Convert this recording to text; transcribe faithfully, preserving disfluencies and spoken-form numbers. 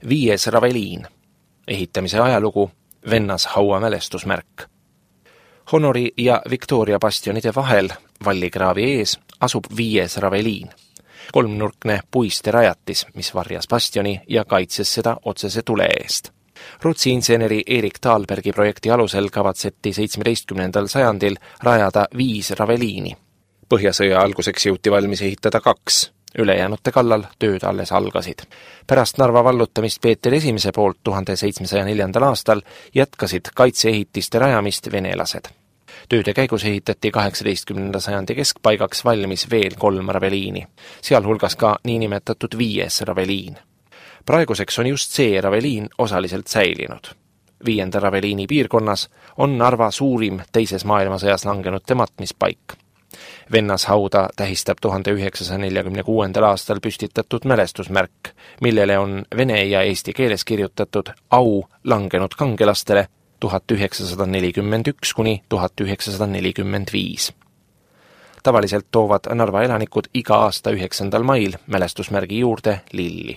Viies Raveliin. Ehitamise ajalugu Vennashaua mälestusmärk. Honori ja Victoria bastionide vahel vallikraavi ees asub Viies Raveliin. Kolmnurkne puiste rajatis, mis varjas bastioni ja kaitses seda otsese tule eest. Rootsi inseneri Erik Thalbergi projekti alusel kavatseti seitsmeteistkümnendal sajandil rajada viis Raveliini. Põhjasõja alguseks jõuti valmis ehitada kaks. Ülejäänute kallal tööd alles algasid. Pärast Narva vallutamist Peeter Esimese poolt tuhande seitsmesaja neljandal aastal jätkasid kaitseehitiste rajamist venelased. Tööde käigus ehitati kaheksateistkümnenda sajandi keskpaigaks valmis veel kolm Raveliini, sealhulgas ka niinimetatud Viies Raveliin. Praeguseks on just see Raveliin osaliselt säilinud. Viienda Raveliini piirkonnas on Narva suurim teises maailmasõjas langenute matmispaik. Vennashauda tähistab tuhande üheksasaja neljakümne kuuendal aastal püstitatud mälestusmärk, millele on vene ja eesti keeles kirjutatud au langenud kangelastele tuhat üheksasada nelikümmend üks kuni tuhat üheksasada nelikümmend viis. Tavaliselt toovad Narva elanikud iga aasta üheksandal mail mälestusmärgi juurde lilli.